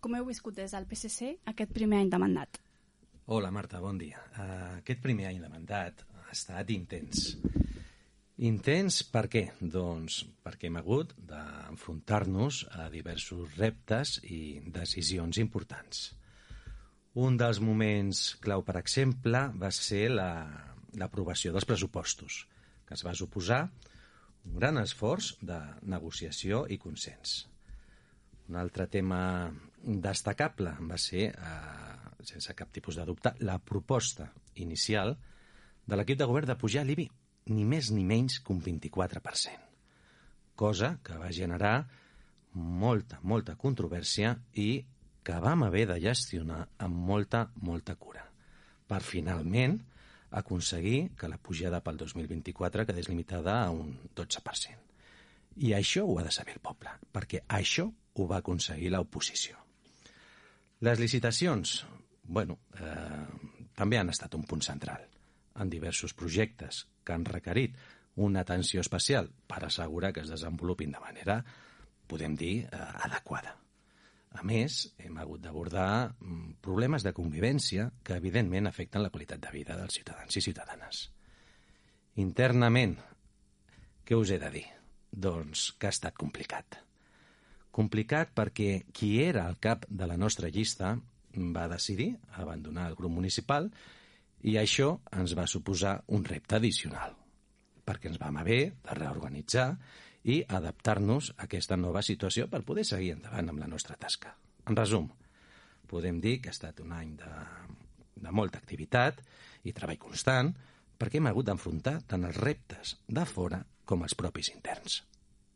com heu viscut des del PSC aquest primer any de mandat? Hola, Marta, bon dia. Aquest primer any de mandat ha estat intens. Intens per què? Doncs perquè hem hagut d'enfrontar-nos a diversos reptes i decisions importants. Un dels moments clau, per exemple, va ser l'aprovació dels pressupostos, que es va suposar un gran esforç de negociació i consens. Un altre tema destacable va ser, sense cap tipus de dubte, la proposta inicial de l'equip de govern de pujar l'IBI ni més ni menys que un 24%, cosa que va generar molta controvèrsia i que vam haver de gestionar amb molta cura, per finalment aconseguir que la pujada pel 2024 quedés limitada a un 12%. I això ho ha de saber el poble, perquè això ho va aconseguir l'oposició. Les licitacions, també han estat un punt central en diversos projectes que han requerit una atenció especial per assegurar que es desenvolupin de manera, podem dir, adequada. A més, hem hagut d'abordar problemes de convivència que, evidentment, afecten la qualitat de vida dels ciutadans i ciutadanes. Internament, què us he de dir? Doncs que ha estat complicat. Complicat perquè qui era al cap de la nostra llista va decidir abandonar el grup municipal i això ens va suposar un repte addicional, perquè ens vam haver de reorganitzar i adaptar-nos a aquesta nova situació per poder seguir endavant amb la nostra tasca. En resum, podem dir que ha estat un any de molta activitat i treball constant perquè hem hagut d'enfrontar tant els reptes de fora com els propis interns.